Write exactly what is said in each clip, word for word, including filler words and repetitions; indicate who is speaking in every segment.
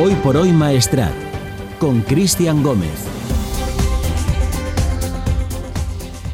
Speaker 1: Hoy por Hoy Maestrat, con Cristian Gómez.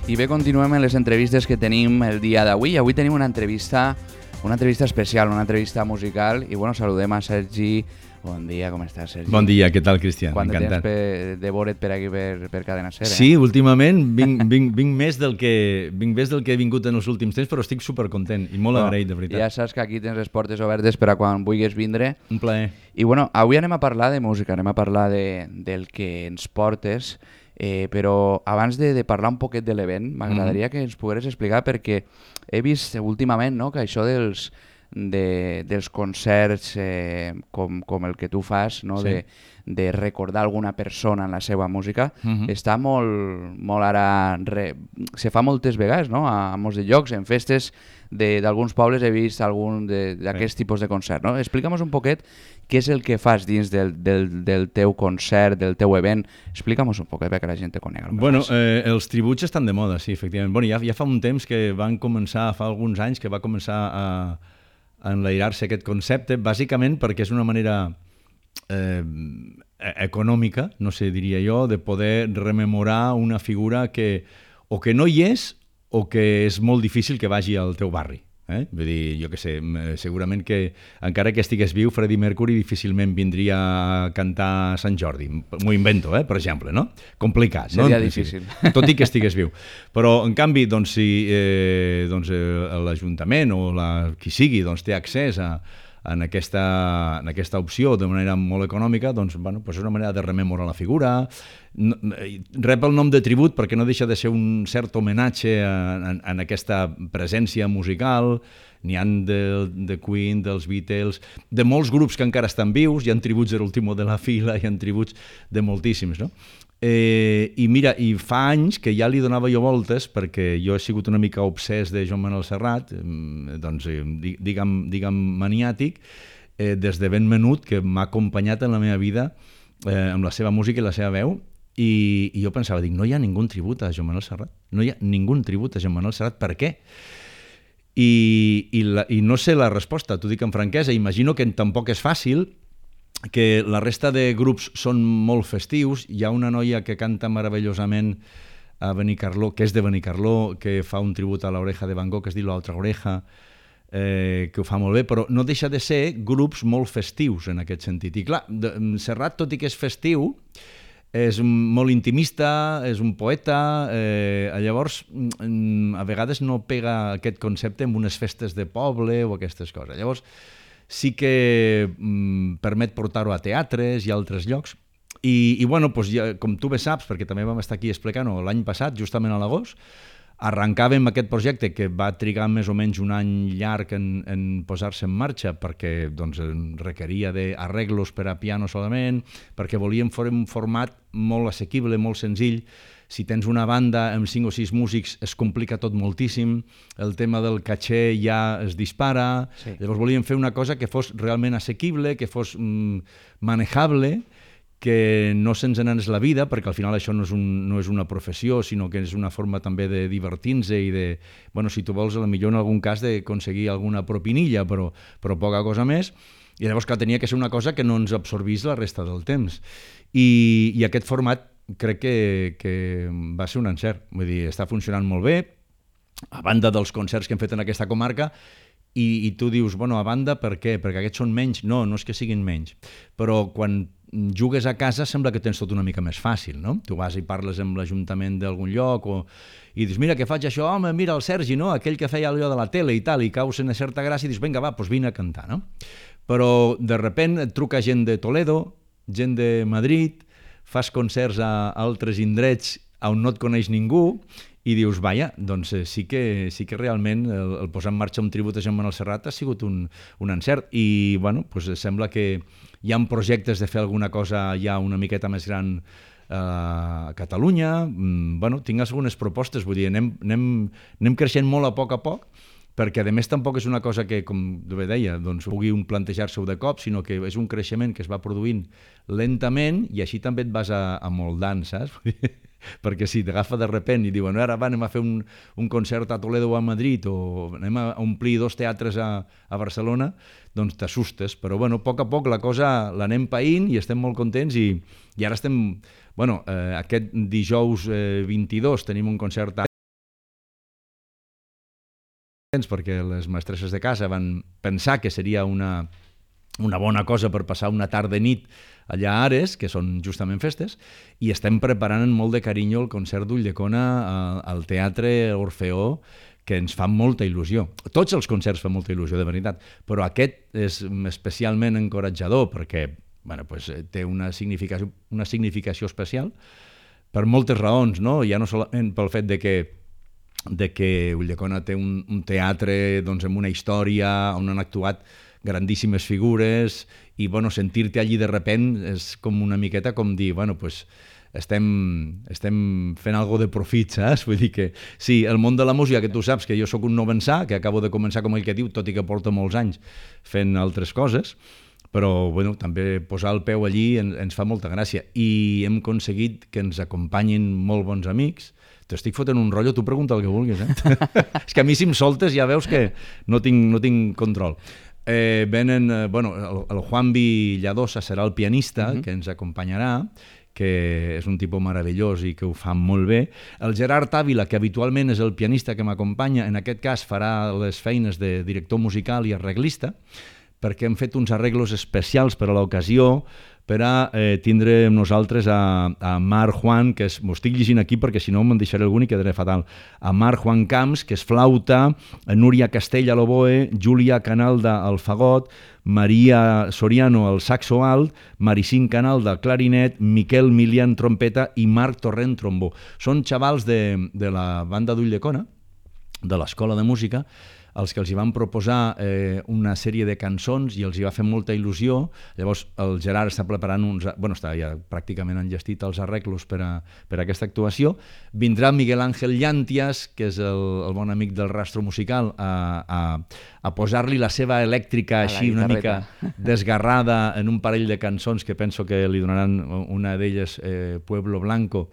Speaker 2: I bé, continuem en les entrevistes que tenim el dia d'avui. Avui tenim una entrevista, una entrevista especial, una entrevista musical. I bueno, saludem a Sergi. Bon dia, com estàs, Sergi?
Speaker 3: Bon dia, què tal, Cristian?
Speaker 2: Quant de
Speaker 3: Encantat.
Speaker 2: temps per, de veure't per aquí, per, per Cadena Ser, eh?
Speaker 3: Sí, últimament vinc, vinc, vinc, més del que, vinc més del que he vingut en els últims temps, però estic supercontent i molt
Speaker 2: Bueno,
Speaker 3: agraït, de veritat.
Speaker 2: Ja saps que aquí tens les portes obertes per a quan vulguis vindre.
Speaker 3: Un plaer.
Speaker 2: I bueno, avui anem a parlar de música, anem a parlar de, del que ens portes, eh, però abans de, de parlar un poquet de l'event, m'agradaria mm-hmm. que ens pogueres explicar, perquè he vist últimament, no?, que això dels, de, dels concerts eh, com, com el que tu fas, no?,
Speaker 3: Sí.
Speaker 2: de, de recordar alguna persona en la seva música,
Speaker 3: Mm-hmm.
Speaker 2: està molt, molt ara... Re... Se fa moltes vegades, no?, a, a molts de llocs, en festes d'alguns pobles he vist algun d'aquests sí. tipus de concert, no? Explica'm un poquet què és el que fas dins del, del, del teu concert, del teu event. Explica'm un poquet perquè la gent te conega.
Speaker 3: Bueno, eh, els tributs estan de moda, sí, efectivament. Bueno, ja, ja fa un temps que van començar, fa alguns anys que va començar a, a enlairar-se aquest concepte, bàsicament perquè és una manera eh, econòmica, no sé, diria jo, de poder rememorar una figura que o que no hi és o que és molt difícil que vagi al teu barri. Eh? Vull dir, jo què sé, segurament que encara que estigués viu, Freddie Mercury difícilment vindria a cantar a Sant Jordi. M'ho invento, eh? Per exemple, no? Complicat, no?
Speaker 2: Seria difícil.
Speaker 3: Tot i que estigués viu. Però, en canvi, doncs, si eh, doncs, eh, l'Ajuntament o la, qui sigui doncs, té accés a, en, aquesta, en aquesta opció de manera molt econòmica, doncs, bueno, doncs és una manera de rememorar la figura. No, rep el nom de tribut perquè no deixa de ser un cert homenatge en, en aquesta presència musical. N'hi ha de, de Queen, dels Beatles, de molts grups que encara estan vius, hi ha tributs de l'Último de la Fila, hi ha tributs de moltíssims, no? Eh, I mira, i fa anys que ja li donava jo voltes, perquè jo he sigut una mica obsès de Joan Manuel Serrat, eh, doncs, eh, diguem, diguem maniàtic, eh, des de ben menut, que m'ha acompanyat en la meva vida eh, amb la seva música i la seva veu. I, i jo pensava, dic, no hi ha ningú tribut a Joan Manuel Serrat, no hi ha ningú tribut a Joan Manuel Serrat, per què? I, i, la, i no sé la resposta, t'ho dic amb franquesa, imagino que tampoc és fàcil, que la resta de grups són molt festius, hi ha una noia que canta meravellosament a Benicarló, que és de Benicarló, que fa un tribut a l'Oreja de Van Gogh, que es diu L'Altra Oreja, eh, que ho fa molt bé, però no deixa de ser grups molt festius en aquest sentit. I clar, de, Serrat, tot i que és festiu, és molt intimista, és un poeta, eh, llavors a vegades no pega aquest concepte en unes festes de poble o aquestes coses. Llavors sí que mm, permet portar-ho a teatres i a altres llocs. I, i bueno, doncs ja, com tu bé saps, perquè també vam estar aquí explicant-ho l'any passat, justament a l'agost, arrencàvem aquest projecte que va trigar més o menys un any llarg en, en posar-se en marxa perquè doncs, requeria d'arreglos per a piano solament, perquè volíem fer un format molt assequible, molt senzill. Si tens una banda amb cinc o sis músics es complica tot moltíssim, el tema del caché ja es dispara, sí. Llavors volíem fer una cosa que fos realment assequible, que fos mm, manejable, que no se'ns n'anés la vida, perquè al final això no és, un, no és una professió, sinó que és una forma també de divertir-se i de, bueno, si tu vols, potser en algun cas d'aconseguir alguna propinilla, però, però poca cosa més. I llavors que tenia que ser una cosa que no ens absorbís la resta del temps. I, i aquest format crec que, que va ser un encert. Vull dir, està funcionant molt bé, a banda dels concerts que hem fet en aquesta comarca, i, i tu dius, bueno, a banda, per què? Perquè aquests són menys? No, no és que siguin menys. Però quan jugues a casa sembla que tens tot una mica més fàcil, no? Tu vas i parles amb l'Ajuntament d'algun lloc o... i dius, mira, que faig això? Home, mira el Sergi, no? Aquell que feia allò de la tele i tal, i caus una certa gràcia i dius, vinga, va, doncs vine a cantar, no? Però de repent et truca gent de Toledo, gent de Madrid, fas concerts a altres indrets on no et coneix ningú i dius, vaja, doncs sí que, sí que realment el, el posar en marxa un tribut a Joan Manuel Serrat ha sigut un, un encert i, bueno, doncs sembla que hi ha projectes de fer alguna cosa ja una miqueta més gran eh, a Catalunya. Mm, bueno, tinc algunes propostes, vull dir, anem, anem, anem creixent molt a poc a poc, perquè a més tampoc és una cosa que, com bé deia, doncs, pugui un plantejar-se-ho de cop, sinó que és un creixement que es va produint lentament i així també et vas a, a moldant, saps? perquè si t'agafa de repent i diuen ara va, anem a fer un, un concert a Toledo o a Madrid o anem a omplir dos teatres a, a Barcelona, doncs t'assustes, però bueno, a poc a poc la cosa l'anem païnt i estem molt contents i, i ara estem, bueno, eh, aquest dijous eh, vint-i-dos tenim un concert perquè les mestresses de casa van pensar que seria una, una bona cosa per passar una tarda nit allà a Ares, que són justament festes, i estem preparant amb molt de carinyo el concert d'Ulldecona al Teatre Orfeó, que ens fa molta il·lusió. Tots els concerts fan molta il·lusió, de veritat, però aquest és especialment encoratjador perquè bueno, pues, té una significació, una significació especial per moltes raons, no? Ja no solament pel fet de que de que Ulldecona té un, un teatre doncs, amb una història on han actuat grandíssimes figures i bueno, sentir-te allí de repent és com una miqueta com dir, bueno, pues, estem, estem fent algo de profit, saps? Vull dir que sí, el món de la música, que tu saps que jo sóc un novençà, que acabo de començar com el que diu, tot i que porto molts anys fent altres coses, però bueno, també posar el peu allí ens, ens fa molta gràcia i hem aconseguit que ens acompanyin molt bons amics. T'estic fotent un rotllo, tu pregunta el que vulguis, eh? És que a mi si em soltes ja veus que no tinc, no tinc control. Eh, venen, eh, bueno, el, el Juanvi Lladosa serà el pianista uh-huh. que ens acompanyarà, que és un tipus meravellós i que ho fa molt bé. El Gerard Ávila, que habitualment és el pianista que m'acompanya, en aquest cas farà les feines de director musical i arreglista, perquè hem fet uns arreglos especials per a l'ocasió, per a eh, tindre amb nosaltres a, a Mar Juan, que m'ho estic llegint aquí perquè si no me'n deixaré algun i quedaré fatal, a Mar Juan Camps, que és flauta, a Núria Castell a l'oboe, Júlia Canalda al fagot, Maria Soriano al saxo alt, Maricín Canalda al clarinet, Miquel Milian trompeta i Marc Torrent trombó. Són xavals de, de la banda d'Ulldecona, de l'Escola de Música, els que els hi van proposar eh, una sèrie de cançons i els hi va fer molta il·lusió. Llavors el Gerard està preparant uns... Bueno, està ja pràcticament enllestit els arreglos per a, per a aquesta actuació. Vindrà Miguel Ángel Llànties, que és el, el bon amic del Rastro Musical, a, a, a posar-li la seva elèctrica així una mica desgarrada en un parell de cançons que penso que li donaran una d'elles, eh, Pueblo Blanco,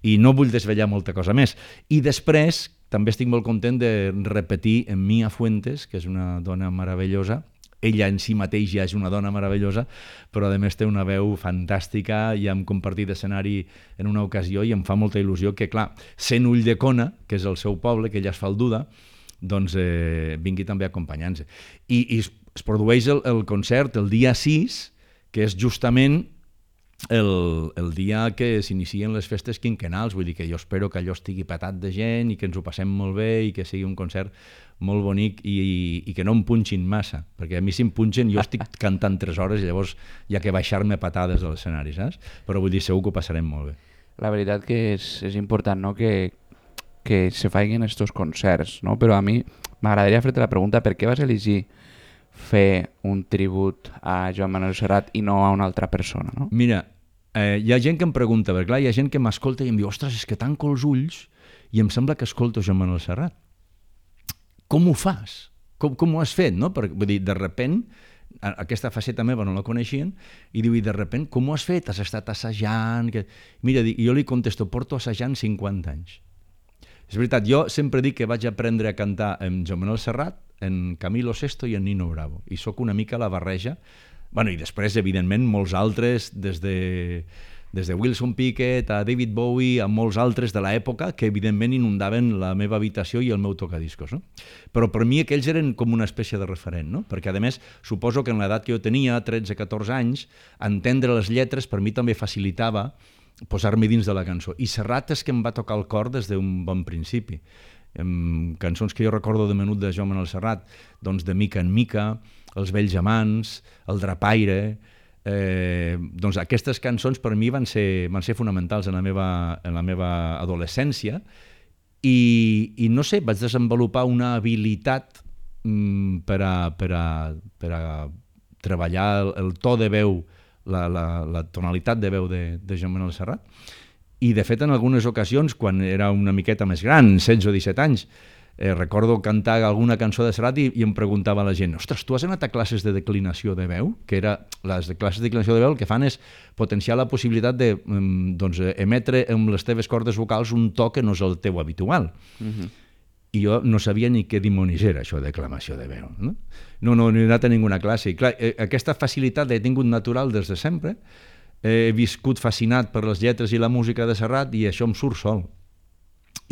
Speaker 3: i no vull desvetllar molta cosa més. I després també estic molt content de repetir en Mia Fuentes, que és una dona meravellosa. Ella en si mateix ja és una dona meravellosa, però a més té una veu fantàstica i hem compartit escenari en una ocasió i em fa molta il·lusió que, clar, sent Ulldecona, que és el seu poble, que ella és falduda, doncs eh, vingui també acompanyant-se. I, i es produeix el, el concert el dia sis, que és justament El, el dia que s'inicien les festes quinquenals, vull dir que jo espero que allò estigui petat de gent i que ens ho passem molt bé i que sigui un concert molt bonic i, i, i que no em punxin massa, perquè a mi si em punxen jo estic cantant tres hores i llavors hi ha que baixar-me patades de l'escenari, saps? Però vull dir, segur que ho passarem molt bé.
Speaker 2: La veritat que és, és important, no?, que, que se facin estos concerts, no? Però a mi m'agradaria fer-te la pregunta, per què vas elegir fer un tribut a Joan Manuel Serrat i no a una altra persona, no?
Speaker 3: Mira, eh, hi ha gent que em pregunta, perquè clar, hi ha gent que m'escolta i em diu, ostres, és que tanco els ulls i em sembla que escolto Joan Manuel Serrat. Com ho fas? Com, com ho has fet, no? Perquè, vull dir, de repent, aquesta faceta meva no la coneixien, i diu, i de repent, com ho has fet? Has estat assajant? Que... Mira, jo li contesto, porto assajant cinquanta anys. És veritat, jo sempre dic que vaig aprendre a cantar amb Joan Manuel Serrat, en Camilo Sesto i en Nino Bravo, i sóc una mica la barreja, bueno, i després, evidentment, molts altres, des de, des de Wilson Pickett a David Bowie, a molts altres de l'època, que evidentment inundaven la meva habitació i el meu tocadiscos, no? Però per mi aquells eren com una espècie de referent, no? Perquè, a més, suposo que en l'edat que jo tenia, tretze catorze anys, entendre les lletres per mi també facilitava posar-me dins de la cançó. I Serrat és que em va tocar el cor des d'un bon principi. Em, cançons que jo recordo de menut de Joan Manuel Serrat, doncs de Mica en Mica, Els vells amants, El drapaire, eh, doncs aquestes cançons per mi van ser, van ser fonamentals en la meva, en la meva adolescència i, i no sé, vaig desenvolupar una habilitat mm, per, a, per, a, per a treballar el, el to de veu, la, la, la tonalitat de veu de, de Joan Manuel Serrat. I, de fet, en algunes ocasions, quan era una miqueta més gran, setze o disset anys, Eh, recordo cantar alguna cançó de Serrat i, i em preguntava la gent, ostres, tu has anat a classes de declinació de veu? Que era, les classes de declinació de veu el que fan és potenciar la possibilitat de doncs, emetre amb les teves cordes vocals un to que no és el teu habitual. Uh-huh. I jo no sabia ni què dimonis era això de declamació de veu. No, no, no, no he anat a ninguna classe. I clar, eh, aquesta facilitat l'he tingut natural des de sempre. Eh, he viscut fascinat per les lletres i la música de Serrat i això em surt sol.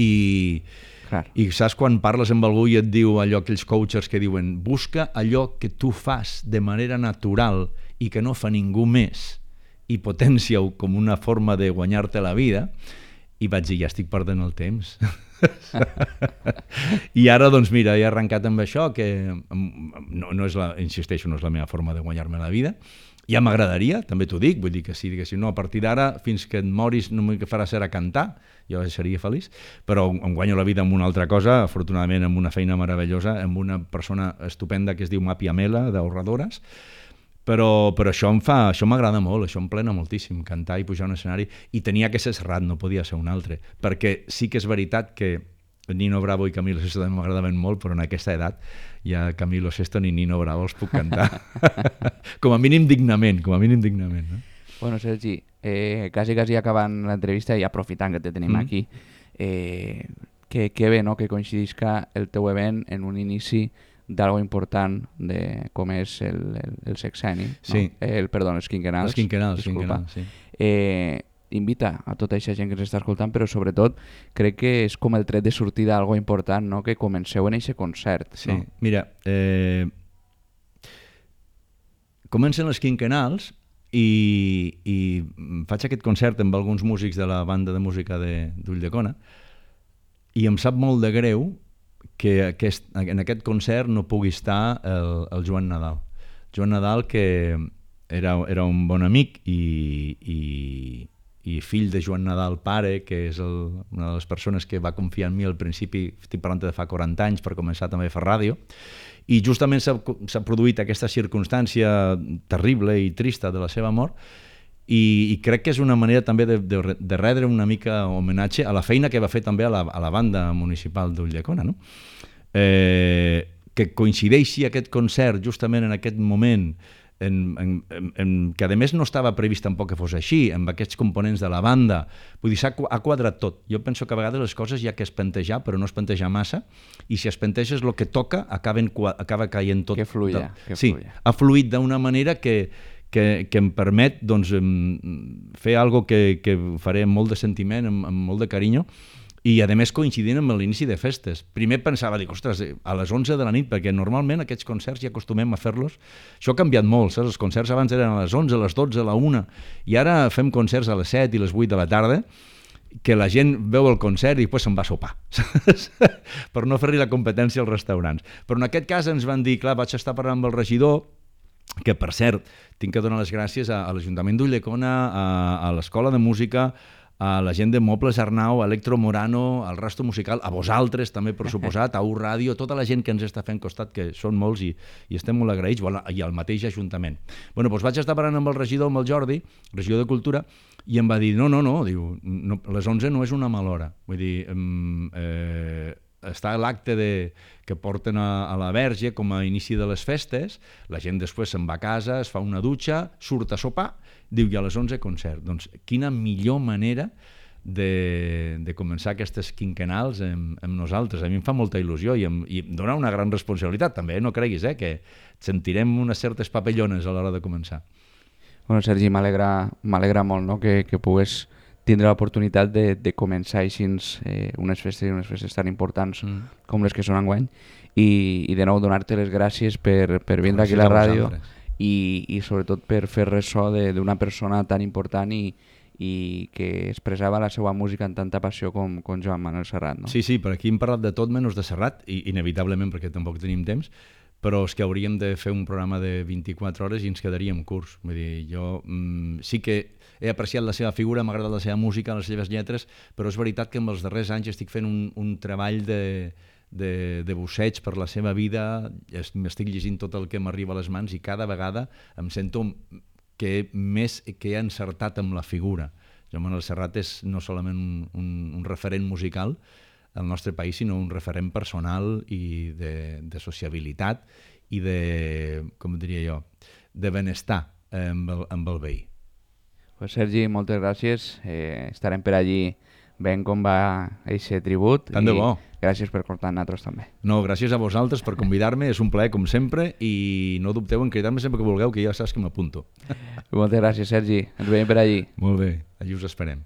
Speaker 3: I... Clar. I saps quan parles amb algú i et diu allò, aquells coaches que diuen busca allò que tu fas de manera natural i que no fa ningú més i potència-ho com una forma de guanyar-te la vida, i vaig dir, ja estic perdent el temps. I ara, doncs mira, he arrencat amb això, que no, no és la, insisteixo, no és la meva forma de guanyar-me la vida. Ja m'agradaria, també t'ho dic, vull dir que sí, que si no, a partir d'ara, fins que et moris, no m'ho farà ser a cantar, jo seria feliç, però em guanyo la vida amb una altra cosa, afortunadament amb una feina meravellosa, amb una persona estupenda que es diu Mapi Amela, d'Ahorradores, però, però això em fa, això m'agrada molt, això em plena moltíssim, cantar i pujar a un escenari, i tenia que ser Serrat, no podia ser un altre, perquè sí que és veritat que Nino Bravo i Camilo Sesto també m'agradaven molt, però en aquesta edat ja Camilo Sesto ni Nino Bravo els puc cantar. Com a mínim dignament, com a mínim dignament. No?
Speaker 2: Bueno, Sergi, eh, quasi, quasi acabant l'entrevista i aprofitant que te tenim mm. aquí, eh, que, que bé, no?, que coincidisca el teu event en un inici d'algo important de com és el, el, el sexeni,
Speaker 3: sí.
Speaker 2: no? el, perdó, els quinquenals.
Speaker 3: Els quinquenals,
Speaker 2: disculpa.
Speaker 3: quinquenals, sí.
Speaker 2: Eh, invita a tota aquesta gent que ens està escoltant, però sobretot crec que és com el tret de sortida d'algo important, no?, que comenceu en aquest concert.
Speaker 3: Sí,
Speaker 2: no?
Speaker 3: Mira, eh, comencen els quinquenals i, i faig aquest concert amb alguns músics de la banda de música d'Ulldecona i em sap molt de greu que aquest, en aquest concert no pugui estar el, el Joan Nadal. Joan Nadal, que era, era un bon amic i, i, i fill de Joan Nadal pare, que és el, una de les persones que va confiar en mi al principi, estic parlant de fa quaranta anys, per començar també a fer ràdio, i justament s'ha produït aquesta circumstància terrible i trista de la seva mort, i, i crec que és una manera també de, de, de retre una mica homenatge a la feina que va fer també a la, a la banda municipal d'Ulldecona, no? Eh, que coincideixi aquest concert justament en aquest moment En, en, en, que a més no estava previst tampoc que fos així, amb aquests components de la banda, vull dir, s'ha ha quadrat tot. Jo penso que a vegades les coses hi ha que espentejar, però no espentejar massa, i si espenteges el que toca, acaben, acaba caient tot.
Speaker 2: Que fluïa.
Speaker 3: De... Sí, ha fluït d'una manera que, que, que em permet doncs, fer algo que, que faré amb molt de sentiment, amb, amb molt de carinyo, i a més coincidint amb l'inici de festes. Primer pensava, dic, ostres, a les onze de la nit, perquè normalment aquests concerts ja acostumem a fer-los. Això ha canviat molt, saps? Els concerts abans eren a les onze, a les dotze, a la una, i ara fem concerts a les set i les vuit de la tarda, que la gent veu el concert i després se'n va a sopar, saps? Per no fer-li la competència als restaurants. Però en aquest cas ens van dir, clar, vaig estar parlant amb el regidor, que per cert, tinc que donar les gràcies a, a l'Ajuntament d'Ulldecona, a, a l'Escola de Música, a la gent de Mobles Arnau, a Electro Morano, al Rastro Musical, a vosaltres també, per suposat, a U Ràdio, tota la gent que ens està fent costat, que són molts i, i estem molt agraïts, i al mateix Ajuntament. Bueno, doncs vaig estar parlant amb el regidor, amb el Jordi, regidor de Cultura, i em va dir, no, no, no, diu, no les onze no és una mala hora. Vull dir, eh, està l'acte que porten a, a la Verge com a inici de les festes, la gent després se'n va a casa, es fa una dutxa, surt a sopar, diu, i a les onze concert. Doncs quina millor manera de, de començar aquestes quinquenals amb, amb nosaltres. A mi em fa molta il·lusió i em, i em dona una gran responsabilitat també, no creguis, eh, que sentirem unes certes papellones a l'hora de començar.
Speaker 2: Bueno, Sergi, m'alegra molt, no?, que, que pugues tindre l'oportunitat de, de començar així eh, unes festes i unes festes tan importants mm. com les que són enguany, i, i de nou donar-te les gràcies per, per vindre aquí a la ràdio i, i sobretot per fer ressò d'una persona tan important i, i que expressava la seva música amb tanta passió com, com Joan Manuel Serrat. No?
Speaker 3: Sí, sí, per aquí hem parlat de tot menys de Serrat, i inevitablement perquè tampoc tenim temps, però és que hauríem de fer un programa de vint-i-quatre hores i ens quedaríem curts. Vull dir, jo mm, sí que he apreciat la seva figura, m'ha agradat la seva música, les seves lletres, però és veritat que en els darrers anys estic fent un, un treball de, de, de busseig per la seva vida, m'estic llegint tot el que m'arriba a les mans i cada vegada em sento que més que he encertat amb la figura. Joan Manuel Serrat és no solament un, un, un referent musical, el nostre país, sinó un referent personal i de, de sociabilitat i de, com diria jo, de benestar amb el, amb el veí.
Speaker 2: Pues Sergi, moltes gràcies. Eh, estarem per allí veient com va aquest tribut.
Speaker 3: Tant de bo.
Speaker 2: Gràcies per portar nosaltres també.
Speaker 3: No, gràcies a vosaltres per convidar-me, és un plaer com sempre i no dubteu en cridar-me sempre que vulgueu, que ja saps que m'apunto.
Speaker 2: Moltes gràcies, Sergi. Ens veiem per allí.
Speaker 3: Molt bé, allí us esperem.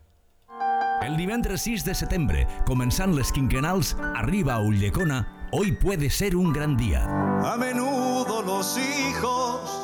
Speaker 4: El divendres sis de setembre, començant les quinquenals, arriba a Ulldecona Hoy puede ser un gran día.
Speaker 5: A menudo los hijos.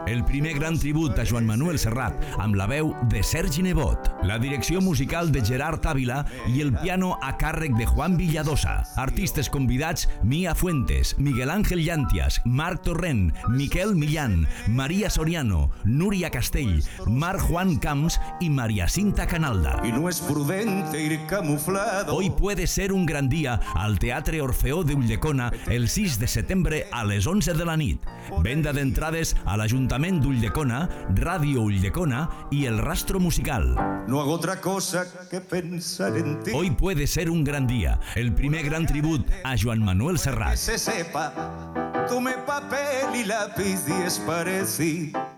Speaker 4: El primer gran tribut a Joan Manuel Serrat amb la veu de Sergi Nebot, la direcció musical de Gerard Ávila i el piano a càrrec de Juan Villadosa. Artistes convidats: Mia Fuentes, Miguel Ángel Llantias, Marc Torrent, Miquel Millán, María Soriano, Núria Castell, Marc Juan Camps y María Cinta Canalda.
Speaker 5: Y no es prudente ir camuflado.
Speaker 4: Hoy puede ser un gran día al Teatre Orfeó de Ulldecona el sis de setembre a les onze de la nit. Venda d'entrades a l'Ajuntament d'Ulldecona, Ràdio Ulldecona y el Rastro Musical.
Speaker 5: No hago otra cosa que pensar en ti.
Speaker 4: Hoy puede ser un gran día, el primer gran tribut a Joan Manuel
Speaker 5: Que
Speaker 4: Serrat.
Speaker 5: se sepa, tome papel y lápiz y es parecido.